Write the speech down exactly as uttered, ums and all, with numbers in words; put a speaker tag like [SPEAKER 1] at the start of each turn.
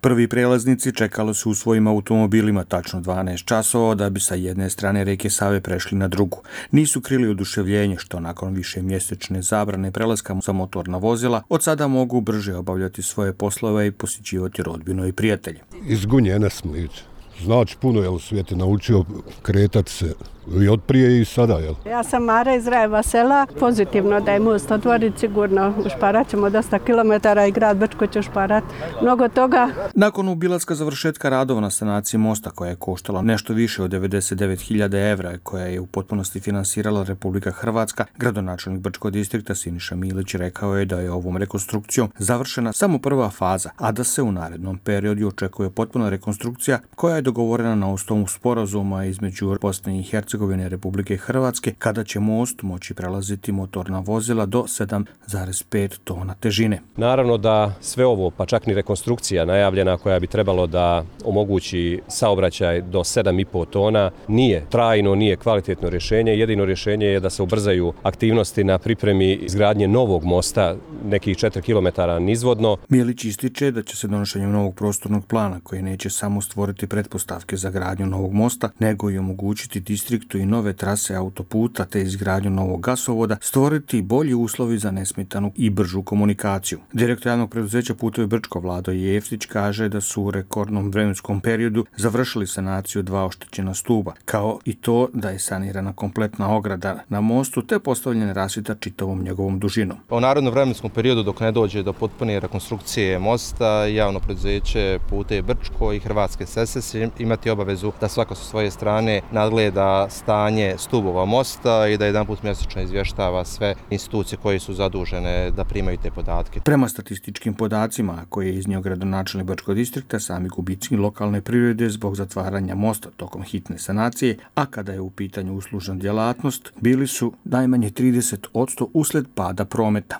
[SPEAKER 1] Prvi prelaznici čekali su u svojim automobilima tačno dvanaest časova da bi sa jedne strane rijeke Save prešli na drugu. Nisu krili oduševljenje što nakon više mjesečne zabrane prelaska za motorna vozila od sada mogu brže obavljati svoje poslove i posjećivati rodbinu i prijatelje.
[SPEAKER 2] Iz Gunje smo ići. Znači puno je u svijetu naučio kretati se i od prije i sada. Jel?
[SPEAKER 3] Ja sam Mara iz Rajeva sela. Pozitivno da je most otvorit, sigurno ušparat ćemo dosta kilometara i grad Brčko će ušparat mnogo toga.
[SPEAKER 1] Nakon obilaska završetka radova na sanaciji mosta koja je koštala nešto više od devedeset devet hiljada evra koja je u potpunosti finansirala Republika Hrvatska, gradonačelnik Brčkog distrikta Siniša Milić rekao je da je ovom rekonstrukcijom završena samo prva faza, a da se u narednom periodu očekuje potpuna rekonstrukcija koja je dogovorena na osnovu sporazuma između Bosne i Hercegovine i Republike Hrvatske, kada će most moći prelaziti motorna vozila do sedam zarez pet tona težine.
[SPEAKER 4] Naravno da sve ovo, pa čak ni rekonstrukcija najavljena koja bi trebalo da omogući saobraćaj do sedam i po tona, nije trajno, nije kvalitetno rješenje. Jedino rješenje je da se ubrzaju aktivnosti na pripremi izgradnje novog mosta, nekih četiri kilometara nizvodno.
[SPEAKER 1] Milić ističe da će se donošenjem novog prostornog plana, koji neće samo stvoriti pretpostavke za gradnju novog mosta, nego i omogućiti distriktu i nove trase autoputa te izgradnju novog gasovoda, stvoriti bolji uslovi za nesmetanu i bržu komunikaciju. Direktor javnog preduzeća Putevi Brčko Vlado Jeftić kaže da su u rekordnom vremenskom periodu završili sanaciju dva oštećena stuba, kao i to da je sanirana kompletna ograda na mostu te postavljena rasvjeta čitavom njegovom dužinom.
[SPEAKER 5] U narednom vremenskom periodu dok ne dođe do potpune rekonstrukcije mosta, javno preduzeće Putevi Brčko i Hrvatske ceste će imati obavezu da svako sa svoje strane nadgleda stanje stubova mosta i da jedanput mjesečno izvještava sve institucije koje su zadužene da primaju te podatke.
[SPEAKER 1] Prema statističkim podacima koje je iznio gradonačelnik Brčkog distrikta, sami gubici lokalne privrede zbog zatvaranja mosta tokom hitne sanacije, a kada je u pitanju uslužna djelatnost, bili su najmanje trideset posto usled pada prometa.